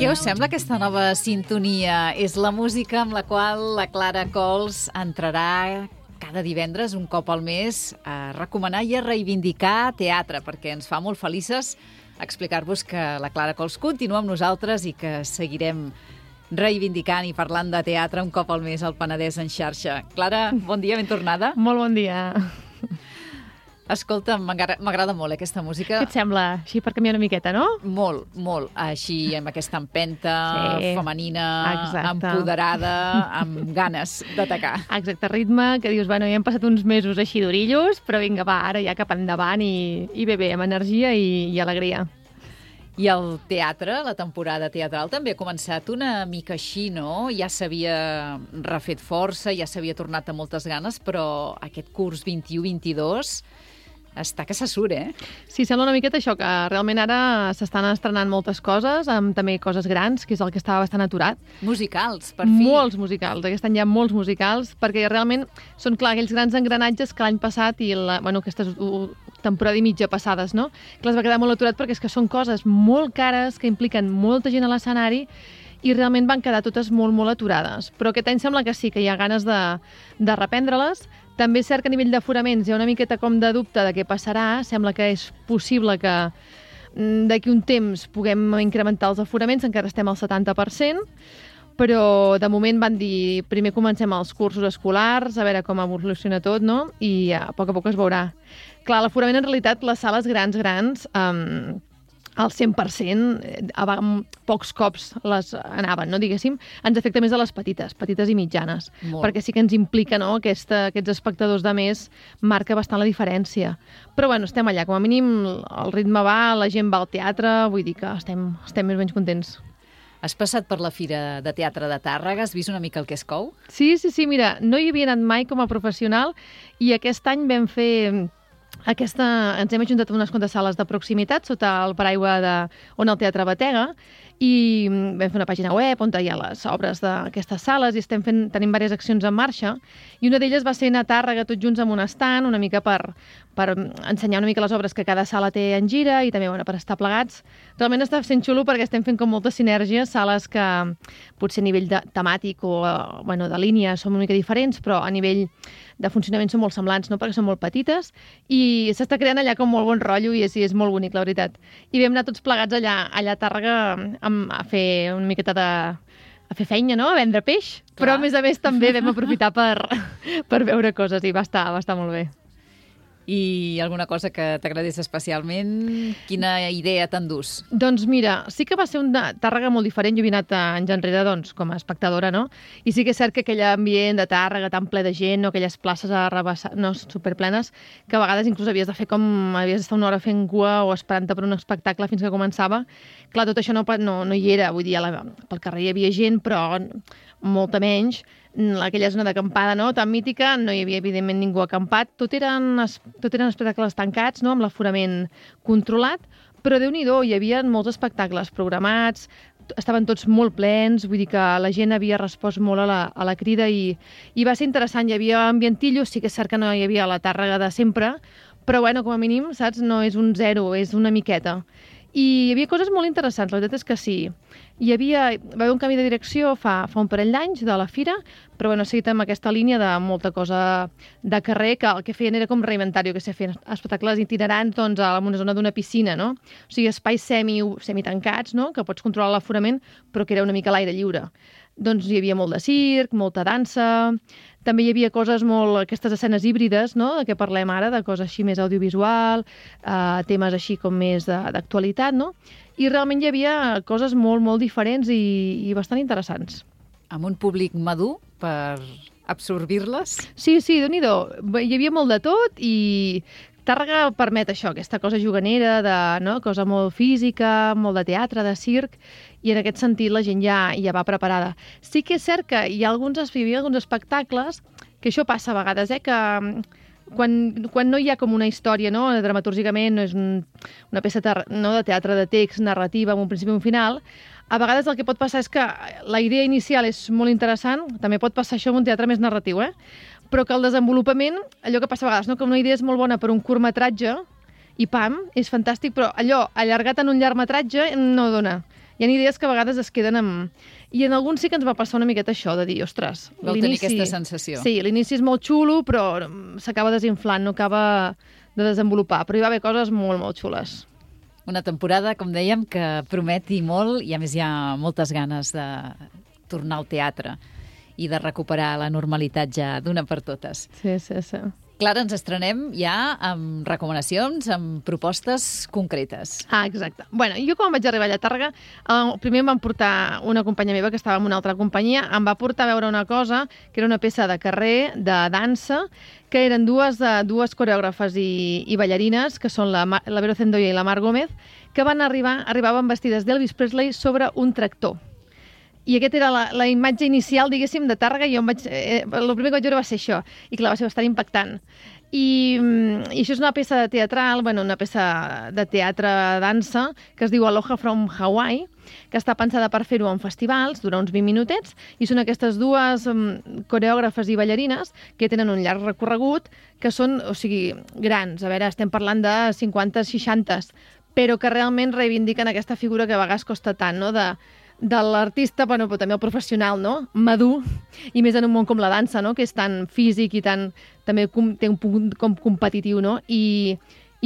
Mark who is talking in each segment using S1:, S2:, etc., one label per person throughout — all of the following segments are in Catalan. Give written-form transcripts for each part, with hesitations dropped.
S1: Què us sembla aquesta nova sintonia? És la música amb la qual la Clara Cols entrarà cada divendres, un cop al mes, a recomanar i a reivindicar teatre, perquè ens fa molt felices explicar-vos que la Clara Cols continua amb nosaltres i que seguirem reivindicant i parlant de teatre un cop al mes al Penedès en xarxa. Clara, bon dia, ben tornada.
S2: Molt bon dia.
S1: Escolta, m'agrada molt aquesta música.
S2: Què et sembla? Així per canviar una miqueta, no?
S1: Molt, molt. Així, amb aquesta empenta femenina,
S2: exacte,
S1: empoderada, amb ganes d'atacar.
S2: Exacte, ritme, que dius, bueno, ja hem passat uns mesos així d'orillos, però vinga, va, ara ja cap endavant i bé, amb energia i alegria.
S1: I el teatre, la temporada teatral, també ha començat una mica així, no? Ja s'havia refet força, ja s'havia tornat amb moltes ganes, però aquest curs 21-22 està que se surt, eh?
S2: Sí, sembla una miqueta això, que realment ara s'estan estrenant moltes coses, amb també coses grans, que és el que estava bastant aturat.
S1: Musicals, per fi.
S2: Molts musicals, aquest any hi ha molts musicals, perquè realment són, clar, aquells grans engranatges que l'any passat i aquestes temporada i mitja passades, no? Que les va quedar molt aturat perquè és que són coses molt cares, que impliquen molta gent a l'escenari i realment van quedar totes molt, molt aturades. Però aquest any sembla que sí, que hi ha ganes de reprendre-les. També és cert que a nivell d'aforaments hi ha una miqueta com de dubte de què passarà. Sembla que és possible que d'aquí un temps puguem incrementar els aforaments, encara estem al 70%, però de moment van dir primer comencem els cursos escolars, a veure com evoluciona tot, no? I a poc es veurà. Clar, l'aforament en realitat, les sales grans, al 100%, pocs cops les anaven, no, diguéssim, ens afecta més a les petites i mitjanes, perquè sí que ens implica, no, aquests espectadors de més marca bastant la diferència. Però bueno, estem allà, com a mínim el ritme va, la gent va al teatre, vull dir que estem més o menys contents.
S1: Has passat per la Fira de Teatre de Tàrrega? Has vist una mica el que es cou?
S2: Sí, mira, no hi havia anat mai com a professional i aquest any vam fer... ens hem ajuntat unes quantes sales de proximitat sota el paraigua on el Teatre Batega i vam fer una pàgina web on hi ha les obres d'aquestes sales i tenim diverses accions en marxa i una d'elles va ser anar a Tàrrega tots junts amb un stand, una mica per ensenyar una mica les obres que cada sala té en gira i també per estar plegats. Realment està sent xulo perquè estem fent com moltes sinergies, sales que potser a nivell temàtic o de línia són una mica diferents, però a nivell de funcionament són molt semblants, no? Perquè són molt petites i s'està creant allà com molt bon rotllo i és molt bonic, la veritat. I vam anar tots plegats allà a Tàrrega a fer una miqueta a fer feina, no? A vendre peix, però a més també vam aprofitar per veure coses i va estar molt bé.
S1: I alguna cosa que t'agradés especialment? Quina idea t'endús?
S2: Doncs mira, sí que va ser una Tàrrega molt diferent. Jo havia anat anys enrere com a espectadora, no? I sí que és cert que aquell ambient de Tàrrega tan ple de gent, no? Aquelles places superplenes, que a vegades inclús havies d'estar una hora fent cua o esperant-te per un espectacle fins que començava. Clar, tot això no hi era, vull dir, pel carrer hi havia gent, però molta menys. Aquella zona d'acampada, no?, tan mítica, no hi havia evidentment ningú acampat, tot eren espectacles tancats, no?, amb l'aforament controlat, però Déu-n'hi-do, hi havia molts espectacles programats, estaven tots molt plens, vull dir que la gent havia respost molt a la crida i va ser interessant, hi havia ambientillo, sí que és cert que no hi havia la Tàrrega de sempre, però bueno, com a mínim, saps, no és un zero, és una miqueta. I hi havia coses molt interessants, la veritat és que sí. Va haver un canvi de direcció fa un parell d'anys de la fira, però bueno, ha seguit amb aquesta línia de molta cosa de carrer, que el que feien era com reinventar-ho, que feien espectacles itinerants en una zona d'una piscina, no? O sigui, espais semitancats, no?, que pots controlar l'aforament, però que era una mica a l'aire lliure. Doncs hi havia molt de circ, molta dansa, també hi havia coses aquestes escenes híbrides, no?, de què parlem ara, de coses així més audiovisual, temes així com més d'actualitat, no? I realment hi havia coses molt, molt diferents i bastant interessants.
S1: Amb un públic madur per absorbir-les?
S2: Sí, Déu-n'hi-do. Hi havia molt de tot i Tàrrega permet això, aquesta cosa juganera, cosa molt física, molt de teatre, de circ, i en aquest sentit la gent ja va preparada. Sí que és cert que hi havia alguns espectacles, que això passa a vegades, que quan no hi ha com una història, no, dramatúrgicament, no és una peça de teatre de text, narrativa, amb un principi i un final, a vegades el que pot passar és que la idea inicial és molt interessant, també pot passar això en un teatre més narratiu, però que el desenvolupament, allò que passa a vegades, no? Que una idea és molt bona per un curtmetratge i pam, és fantàstic, però allò allargat en un llargmetratge no dona. I hi ha idees que a vegades es queden amb... I en alguns sí que ens va passar una miqueta això, de dir, ostres...
S1: Vau tenir aquesta sensació.
S2: Sí, l'inici és molt xulo, però s'acaba desinflant, no acaba de desenvolupar. Però hi va haver coses molt, molt xules.
S1: Una temporada, com dèiem, que prometi molt i, a més, hi ha moltes ganes de tornar al teatre i de recuperar la normalitat ja d'una per totes.
S2: Sí, sí, sí.
S1: Clara, ens estrenem ja amb recomanacions, amb propostes concretes.
S2: Ah, exacte. Bueno, jo quan vaig arribar allà a Tàrrega, primer em van portar una companya meva que estava en una altra companyia, em va portar a veure una cosa que era una peça de carrer, de dansa, que eren dues coreògrafes i ballarines, que són la Vero Zendoya i la Mar Gómez, que arribaven vestides d'Elvis Presley sobre un tractor. I aquesta era la imatge inicial, diguéssim, de Tàrrega, i el primer que vaig veure va ser això, i clar, va ser bastant impactant. I això és una peça teatral, una peça de teatre-dansa, que es diu Aloha from Hawaii, que està pensada per fer-ho en festivals, dura uns 20 minutets, i són aquestes dues coreògrafes i ballarines que tenen un llarg recorregut, que són, grans, a veure, estem parlant de 50-60, però que realment reivindiquen aquesta figura que a vegades costa tant, no?, de l'artista, però també el professional, no?, madur, i més en un món com la dansa, no?, que és tan físic i també té un punt com competitiu, no?, i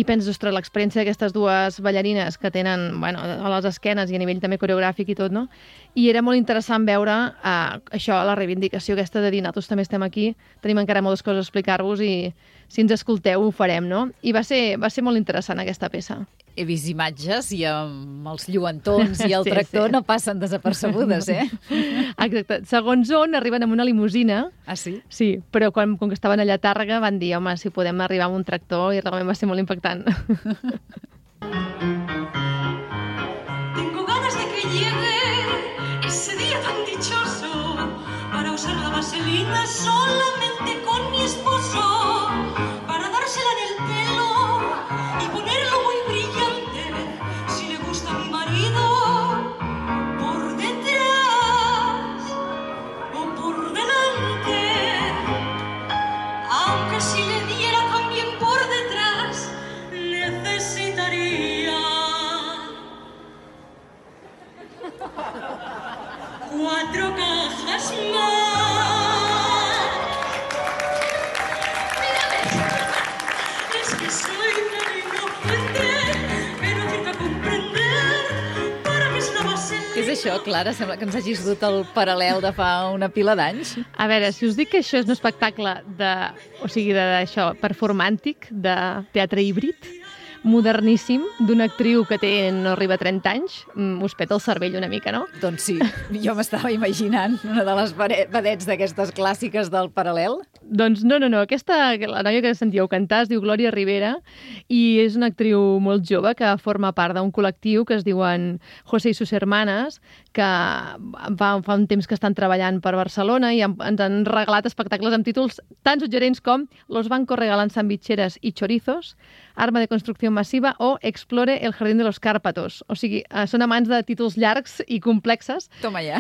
S2: penses, ostres, l'experiència d'aquestes dues ballarines que tenen, a les esquenes i a nivell també coreogràfic i tot, no?, i era molt interessant veure això, la reivindicació aquesta de dir, nosaltres també estem aquí, tenim encara moltes coses a explicar-vos i si ens escolteu ho farem, no?, i va ser molt interessant aquesta peça.
S1: He vist imatges i amb els lluentons i el tractor no passen desapercebudes, eh?
S2: Exacte. Segons on, arriben amb una limusina.
S1: Ah, sí?
S2: Sí, però com que estaven allà a Tàrrega van dir, home, si podem arribar amb un tractor, i realment va ser molt impactant.
S3: Tengo ganas de que llegue ese día tan dichoso para usar la vaselina solamente con mi esposo, para dársela en el pelo y ponerlo muy brillante, si le gusta a mi marido, por detrás o por delante, aunque si le diera también por detrás, necesitaría 4 cajas más. Es que soy tan inocente que no acierto a comprender para qué es la vaselina.
S1: Què és això, Clara? Sembla que ens hagis dut el paral·lel de fa una pila d'anys.
S2: A veure, si us dic que això és un espectacle d'això, performàntic, de teatre híbrid, moderníssim, d'una actriu que no arriba a 30 anys, us peta el cervell una mica, no?
S1: Doncs sí, jo m'estava imaginant una de les vedets d'aquestes clàssiques del paral·lel.
S2: Doncs no. La noia que sentíeu cantar es diu Glòria Rivera i és una actriu molt jove que forma part d'un col·lectiu que es diuen José y sus hermanas, que fa un temps que estan treballant per Barcelona i ens han regalat espectacles amb títols tan suggerents com Los bancos regalan sandwicheras y chorizos, Arma de construcció massiva o Explore el jardín de los Cárpatos. O sigui, són amants de títols llargs i complexes.
S1: Toma ja.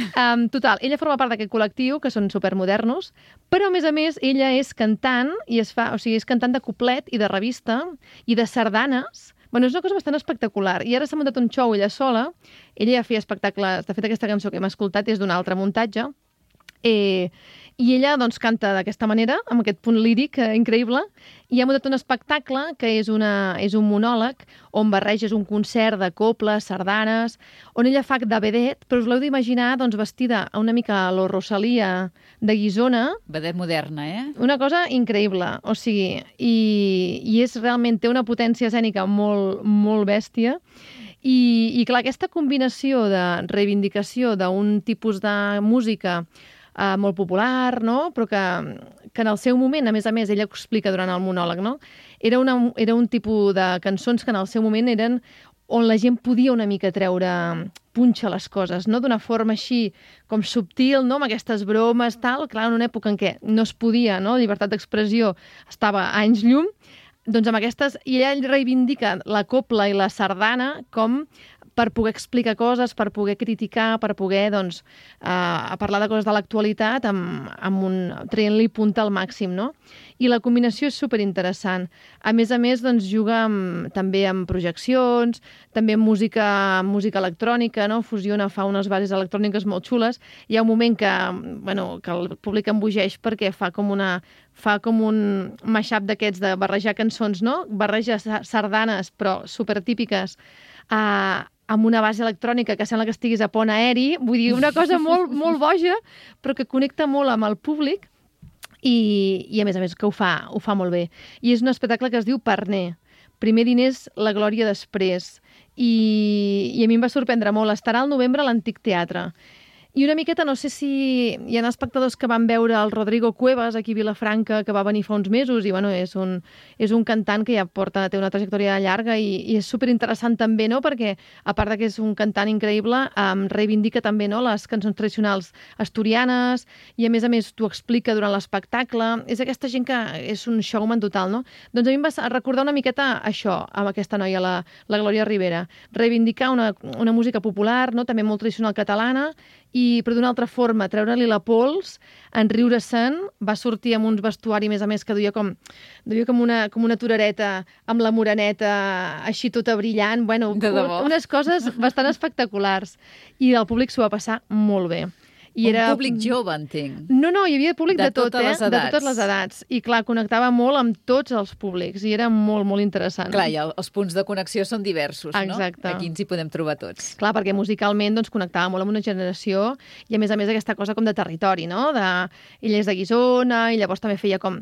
S2: Total, ella forma part d'aquest col·lectiu, que són supermodernos, però a més, ella és cantant i és cantant de cuplet i de revista i de sardanes. És una cosa bastant espectacular. I ara s'ha muntat un show ella sola. Ella ja feia espectacles. De fet, aquesta cançó que hem escoltat és d'un altre muntatge. I ella doncs, canta d'aquesta manera, amb aquest punt líric increïble, i ha muntat un espectacle que és un monòleg on barreges un concert de coples, sardanes, on ella fa de vedet, però us l'heu d'imaginar doncs, vestida una mica a lo Rosalia de Guisona.
S1: Vedet moderna, eh?
S2: Una cosa increïble, i és realment, té una potència escènica molt, molt bèstia. I clar, aquesta combinació de reivindicació d'un tipus de música molt popular, no?, però que en el seu moment, a més, ella ho explica durant el monòleg, no?, era un tipus de cançons que en el seu moment eren on la gent podia una mica treure punxa a les coses, no?, d'una forma així com subtil, no?, amb aquestes bromes, tal, clar, en una època en què no es podia, no?, la llibertat d'expressió estava a anys llum, doncs amb aquestes... I ella reivindica la copla i la sardana com per poder explicar coses, per poder criticar, per poder doncs, parlar de coses de l'actualitat traient-li punta al màxim, no? I la combinació és superinteressant. A més, doncs, juga també amb projeccions, també amb música electrònica, no? Fusiona, fa unes bases electròniques molt xules. Hi ha un moment que el públic embogeix perquè fa com un mashup d'aquests de barrejar cançons, no? Barreja sardanes, però supertípiques, amb una base electrònica que sembla que estiguis a pont aeri, vull dir, una cosa molt, molt boja, però que connecta molt amb el públic i a més que ho fa molt bé. I és un espectacle que es diu Parner. Primer diners, la glòria després. I a mi em va sorprendre molt. Estarà al novembre a l'Antic Teatre. I una miqueta, no sé si hi ha espectadors que van veure el Rodrigo Cuevas aquí a Vilafranca, que va venir fa uns mesos, i és un cantant que ja té una trajectòria llarga i és superinteressant també, no? Perquè, a part que és un cantant increïble, reivindica també, no, les cançons tradicionals asturianes i, a més, t'ho explica durant l'espectacle. És aquesta gent que és un showman total, no? Doncs a mi em va recordar una miqueta això, amb aquesta noia, la Glòria Ribera. Reivindicar una música popular, no? També molt tradicional catalana, però d'una altra forma, treure-li la pols, enriure-se'n, va sortir amb uns vestuari, a més que duia com una torereta amb la moreneta així tota brillant, unes coses bastant espectaculars. I el públic s'ho va passar molt bé.
S1: Un públic jove, entenc.
S2: No, hi havia públic de tot,
S1: les edats.
S2: De totes les edats. I clar, connectava molt amb tots els públics i era molt, molt interessant.
S1: Clar, i els punts de connexió són diversos,
S2: exacte,
S1: no? Aquí ens hi podem trobar tots.
S2: Clar, perquè musicalment doncs, connectava molt amb una generació i a més aquesta cosa com de territori, no? Ell és de Guissona i llavors també feia com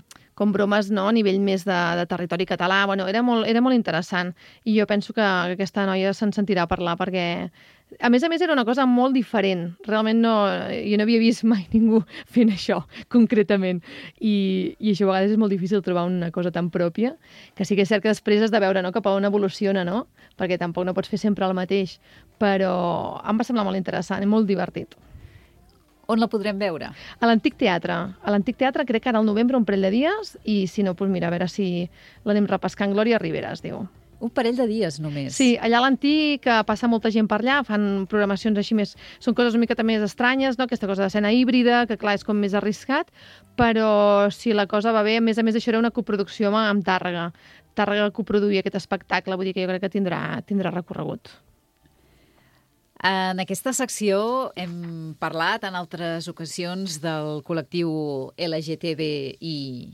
S2: bromes, no?, a nivell més de territori català. Era molt interessant i jo penso que aquesta noia se'n sentirà parlar perquè, a més, era una cosa molt diferent. Realment jo no havia vist mai ningú fent això, concretament. I això a vegades és molt difícil trobar una cosa tan pròpia, que sí que és cert que després has de veure, no?, cap a on evoluciona, no? Perquè tampoc no pots fer sempre el mateix. Però em va semblar molt interessant i molt divertit.
S1: On la podrem veure?
S2: A l'Antic Teatre. A l'Antic Teatre crec que ara al novembre un parell de dies i si no, doncs mira, a veure si l'anem repescant. Glòria Ribera es diu.
S1: Un parell de dies només.
S2: Sí, allà a l'Antic passa molta gent per allà, fan programacions així més... Són coses una miqueta més estranyes, no? Aquesta cosa d'escena híbrida, que clar, és com més arriscat, però si la cosa va bé, a més això era una coproducció amb Tàrrega. Tàrrega coproduïa aquest espectacle, vull dir que jo crec que tindrà recorregut.
S1: En aquesta secció hem parlat en altres ocasions del col·lectiu LGTBIQ+,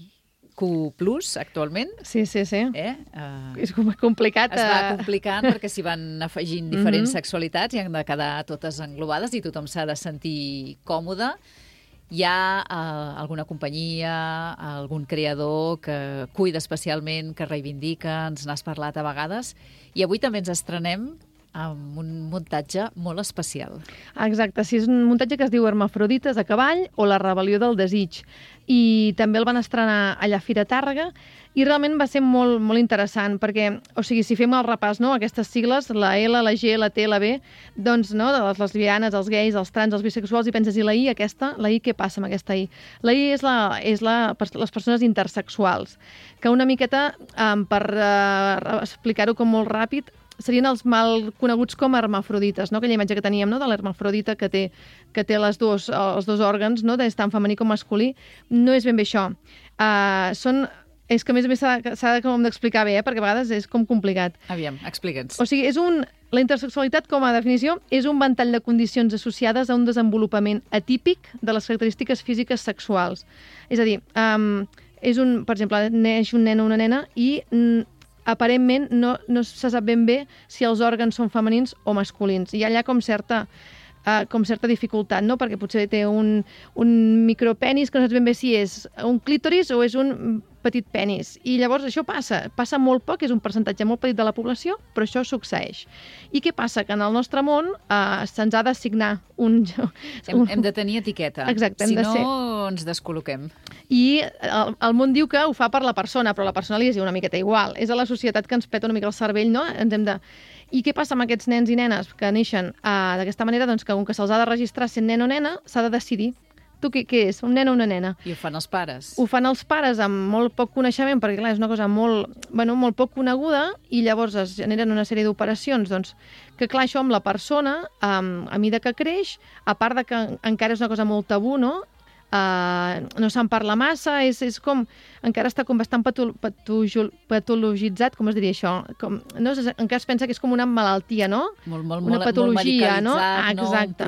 S1: actualment.
S2: Sí. És complicat.
S1: Es va complicant perquè s'hi van afegint diferents sexualitats i han de quedar totes englobades i tothom s'ha de sentir còmode. Hi ha alguna companyia, algun creador que cuida especialment, que reivindica, ens n'has parlat a vegades, i avui també ens estrenem amb un muntatge molt especial.
S2: Exacte, sí, és un muntatge que es diu Hermafrodites a cavall o La rebel·lió del desig. I també el van estrenar allà a Fira Tàrrega i realment va ser molt, molt interessant perquè, o sigui, si fem el repàs, no?, aquestes sigles, la L, la G, la T, la B, doncs, no?, de les lesbianes, els gais, els trans, els bisexuals, i penses, i la I, aquesta? La I, què passa amb aquesta I? La I és les persones intersexuals, que una miqueta, per explicar-ho com molt ràpid, serien els mal coneguts com hermafrodites, no? Aquella imatge que teníem, no?, de l'hermafrodita que té els dos òrgans, no?, tant femení com masculí. No és ben bé això. És que a més s'ha d'explicar bé, perquè a vegades és com complicat.
S1: Aviam, explica'ns.
S2: O sigui, la intersexualitat, com a definició, és un ventall de condicions associades a un desenvolupament atípic de les característiques físiques sexuals. És a dir, per exemple, neix un nen o una nena i aparentment no se sap ben bé si els òrgans són femenins o masculins. Hi ha allà com certa dificultat, no? Perquè potser té un micropenis que no saps ben bé si és un clítoris o és un petit penis. I llavors això passa molt poc, és un percentatge molt petit de la població, però això succeeix. I què passa? Que en el nostre món se'ns ha d'assignar
S1: Hem de tenir etiqueta.
S2: Exacte,
S1: si no ens descol·loquem.
S2: I el món diu que ho fa per la persona, però la persona li és una miqueta igual. És a la societat que ens peta una mica el cervell, no? I què passa amb aquests nens i nenes que neixen d'aquesta manera? Doncs que com que se'ls ha de registrar sent nen o nena, s'ha de decidir tu què és? Un nen o una nena?
S1: I ho fan els pares?
S2: Ho fan els pares amb molt poc coneixement, perquè clar, és una cosa molt poc coneguda, i llavors es generen una sèrie d'operacions, doncs, que clar, això amb la persona, a mida que creix, a part de que encara és una cosa molt tabú, no? No se'n parla massa, és com, encara està com bastant patologitzat, com es diria això? Encara es pensa que és com una malaltia, no? Una patologia, no?
S1: Exacte.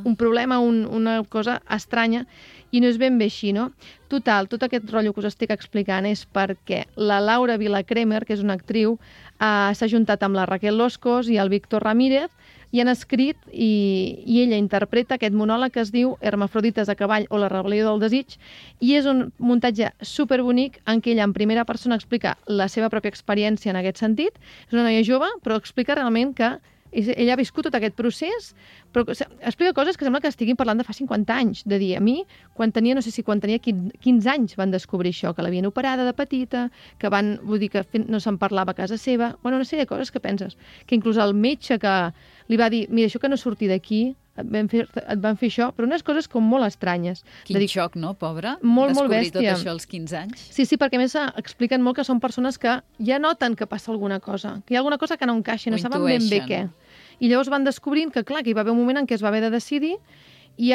S1: Un
S2: problema, una cosa estranya, i no és ben bé així, no? Total, tot aquest rotllo que us estic explicant és perquè la Laura Vilacremer, que és una actriu, s'ha juntat amb la Raquel Loscos i el Víctor Ramírez, i han escrit, i ella interpreta aquest monòleg que es diu Hermafrodites a cavall o la rebel·lió del desig, i és un muntatge superbonic en què ella en primera persona explica la seva pròpia experiència en aquest sentit. És una noia jove, però explica realment que ella ha viscut tot aquest procés, però explica coses que sembla que estiguin parlant de fa 50 anys, de dir, a mi, quan tenia 15 anys van descobrir això, que l'havien operada de petita, que vull dir que no se'n parlava a casa seva, una sèrie de coses que penses, que inclús el metge que li va dir, mira, això que no surti d'aquí, et van fer això, però unes coses com molt estranyes.
S1: Quin xoc, no, pobra?
S2: Molt
S1: descobrir
S2: bèstia.
S1: Tot això als 15 anys.
S2: Sí, perquè a més expliquen molt que són persones que ja noten que passa alguna cosa, que hi ha alguna cosa que no encaixa, no saben ben bé què. I llavors van descobrint que, clar, que hi va haver un moment en què es va haver de decidir, i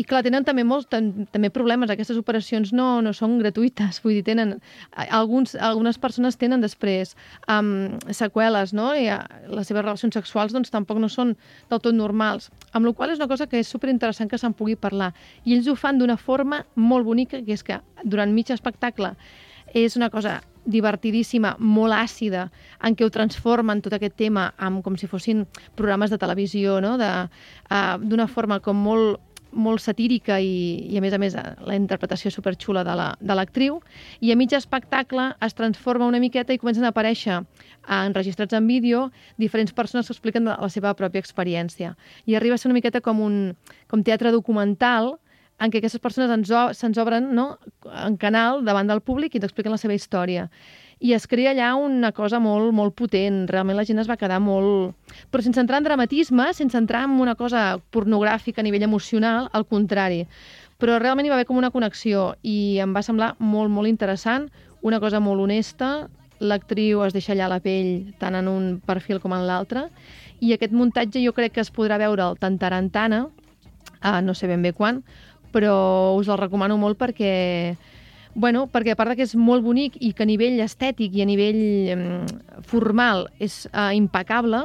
S2: clar, tenen també problemes. Aquestes operacions no són gratuïtes, vull dir, algunes persones tenen després seqüeles, no? I les seves relacions sexuals doncs tampoc no són del tot normals, amb la qual cosa és una cosa que és superinteressant que se'n pugui parlar. I ells ho fan d'una forma molt bonica, que és que durant mig espectacle és una cosa divertidíssima, molt àcida, en què ho transformen tot aquest tema com si fossin programes de televisió, no? D'una forma com molt satírica i a més la interpretació superxula de l'actriu, i a mig espectacle es transforma una miqueta i comencen a aparèixer enregistrats en vídeo diferents persones que expliquen la seva pròpia experiència. I arriba a ser una miqueta com teatre documental, en què aquestes persones se'ns obren, no?, en canal davant del públic i ens expliquen la seva història. I es crea allà una cosa molt, molt potent. Realment la gent es va quedar molt... Però sense entrar en dramatisme, sense entrar en una cosa pornogràfica a nivell emocional, al contrari. Però realment hi va haver com una connexió i em va semblar molt, molt interessant, una cosa molt honesta, l'actriu es deixa allà la pell tant en un perfil com en l'altre, i aquest muntatge jo crec que es podrà veure tant Tarantana, no sé ben bé quan, però us el recomano molt perquè a part que és molt bonic i que a nivell estètic i a nivell formal és impecable,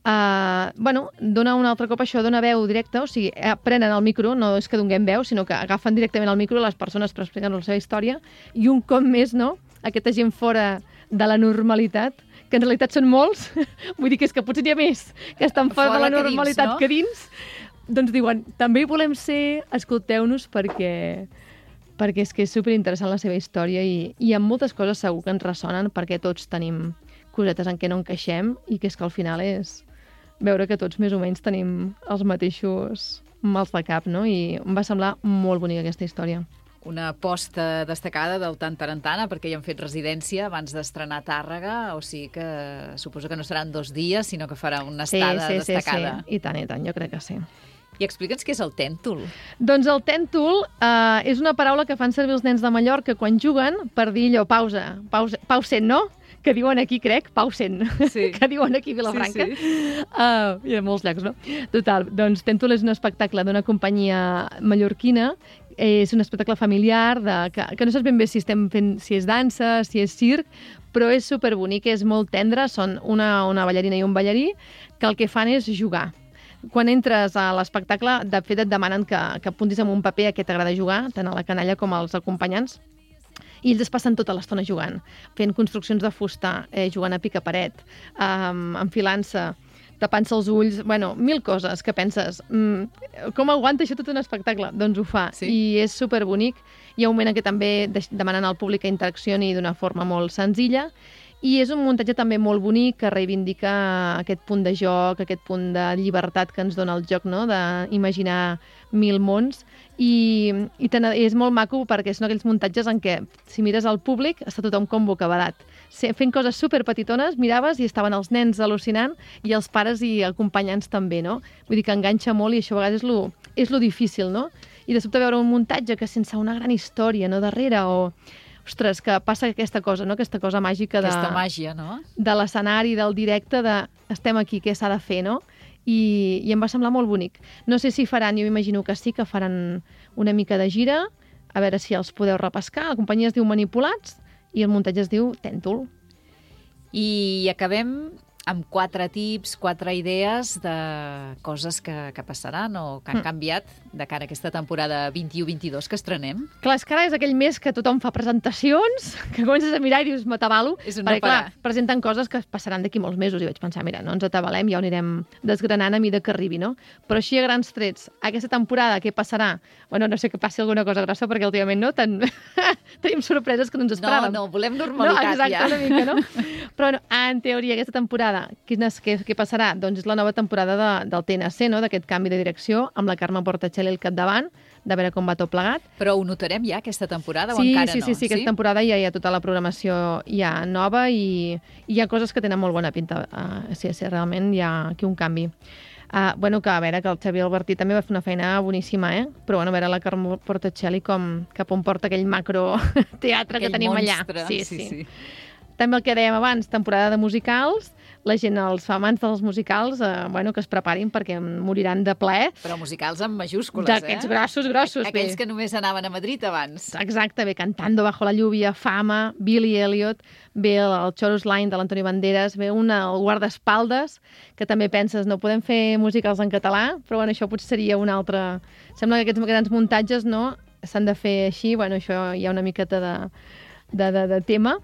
S2: dona un altre cop això, dona veu directa, o sigui, prenen el micro, no és que donem veu, sinó que agafen directament el micro les persones per explicar la seva història, i un cop més, no?, aquesta gent fora de la normalitat, que en realitat són molts, vull dir que és que potser n'hi ha més que estan fora de la normalitat que dins, doncs diuen, també hi volem ser, escolteu-nos perquè és que és superinteressant la seva història i amb moltes coses segur que ens ressonen perquè tots tenim cosetes en què no encaixem i que és que al final és veure que tots més o menys tenim els mateixos mals de cap, no? I em va semblar molt bonica aquesta història.
S1: Una aposta destacada del Tant Tarantana, perquè hi han fet residència abans d'estrenar a Tàrrega, o sigui que suposo que no seran 2 dies, sinó que farà una estada destacada.
S2: Sí, i tant, jo crec que sí.
S1: I explica'ns què és el tèntol.
S2: Doncs el tèntol és una paraula que fan servir els nens de Mallorca quan juguen per dir allò, pausen, no? Que diuen aquí, crec, pausen, sí. Que diuen aquí a Vilafranca. Sí. I a molts llocs, no? Total, doncs tèntol és un espectacle d'una companyia mallorquina, és un espectacle familiar que no saps ben bé si estem fent, si és dansa, si és circ, però és superbonic, és molt tendre, són una ballarina i un ballarí que el que fan és jugar. Quan entres a l'espectacle, de fet et demanen que apuntis amb un paper a què t'agrada jugar, tant a la canalla com als acompanyants, i ells es passen tota l'estona jugant, fent construccions de fusta, jugant a picaparet, enfilant-se, tapant-se els ulls, bueno, 1000 coses que penses, com aguanta això tot un espectacle? Doncs ho fa, sí. I és superbonic. Hi ha un moment en què també demanen al públic que interaccioni d'una forma molt senzilla, i és un muntatge també molt bonic que reivindica aquest punt de joc, aquest punt de llibertat que ens dona el joc, no?, d'imaginar 1000 mons, i és molt maco perquè són aquells muntatges en què, si mires al públic, està tothom com bocabadat. Fent coses superpetitones, miraves i estaven els nens al·lucinant i els pares i acompanyants també, no? Vull dir que enganxa molt i això a vegades és lo difícil, no? i de sobte veure un muntatge que sense una gran història no darrere, o... Ostres, que passa aquesta cosa, no? Aquesta cosa màgica
S1: Aquesta màgia, no?
S2: De l'escenari, del directe, de estem aquí, què s'ha de fer, no? I em va semblar molt bonic. No sé si faran, jo m'imagino que sí, que faran una mica de gira, a veure si els podeu repescar. La companyia es diu Manipulats i el muntatge es diu Tèntol.
S1: I acabem amb 4 tips, 4 idees de coses que passaran o que han canviat de cara a aquesta temporada 21-22 que estrenem.
S2: Clar, és que ara és aquell mes que tothom fa presentacions, que comences a mirar i dius, m'atabalo.
S1: És un no
S2: perquè, clar, presenten coses que passaran d'aquí molts mesos i vaig pensar, mira, no ens atabalem, ja ho anirem desgranant a mida que arribi, no? Però així a grans trets, aquesta temporada, què passarà? Bueno, no sé que passi alguna cosa grossa, perquè últimament no, tenim sorpreses que no ens esperàvem.
S1: No, volem normalitat,
S2: exacte,
S1: ja.
S2: Una mica, no? Però, bueno, en teoria, aquesta temporada, què passarà? Doncs és la nova temporada del TNC, no? D'aquest canvi de direcció, amb la Carme Portacelli al capdavant, de veure com va tot plegat.
S1: Però ho notarem ja, aquesta temporada, o encara no?
S2: Sí, aquesta temporada ja hi ha tota la programació ja nova i hi ha coses que tenen molt bona pinta. Sí, realment hi ha aquí un canvi. Bueno, que a veure, que el Xavier Albertí també va fer una feina boníssima, però bueno, a veure la Carme Portacelli cap on porta aquell macro teatre que tenim
S1: monstre.
S2: Allà. Sí. També el que dèiem abans, temporada de musicals, la gent, els amants dels musicals, bueno, que es preparin perquè moriran de plaer.
S1: Però musicals amb majúscules,
S2: d'aquests grossos.
S1: Aquells que només anaven a Madrid abans.
S2: Exacte, ve Cantando bajo la lluvia, Fama, Billy Elliot, ve el Chorus Line de l'Antoni Banderas, ve el guardaespaldes, que també penses, no podem fer musicals en català, però bueno, això potser seria un altre... Sembla que aquests grans muntatges, no?, s'han de fer així, bueno, això hi ha una miqueta de tema,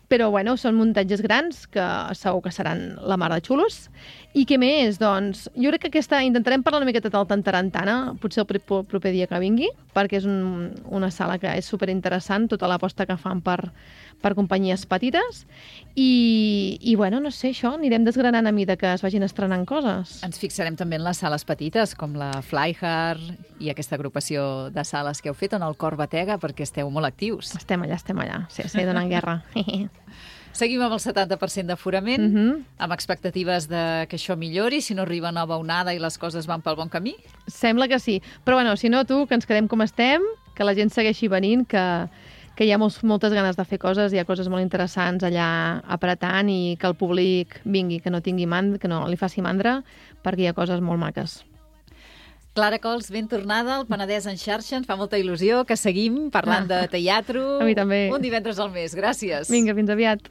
S2: però bueno, són muntatges grans que segur que seran la mar de xulos. I què més? Doncs jo crec que intentarem parlar una miqueta del Tantarantana, potser el proper dia que vingui, perquè és una sala que és superinteressant, tota l'aposta que fan per companyies petites. I bueno, no sé, això, anirem desgranant a mida que es vagin estrenant coses.
S1: Ens fixarem també en les sales petites, com la Flyhard i aquesta agrupació de sales que heu fet en el Cor Batega, perquè esteu molt actius.
S2: Estem allà. Sí, donant guerra.
S1: Seguim amb el 70% d'aforament, amb expectatives de que això millori, si no arriba nova onada i les coses van pel bon camí?
S2: Sembla que sí. Però bueno, si no, que ens quedem com estem, que la gent segueixi venint, que hi ha moltes ganes de fer coses, hi ha coses molt interessants allà apretant i que el públic vingui, que no li faci mandra, perquè hi ha coses molt maques.
S1: Clara Cols, ben tornada al Penedès en xarxa. Ens fa molta il·lusió que seguim parlant de teatre.
S2: A mi també.
S1: Un divendres al mes. Gràcies.
S2: Vinga, fins aviat.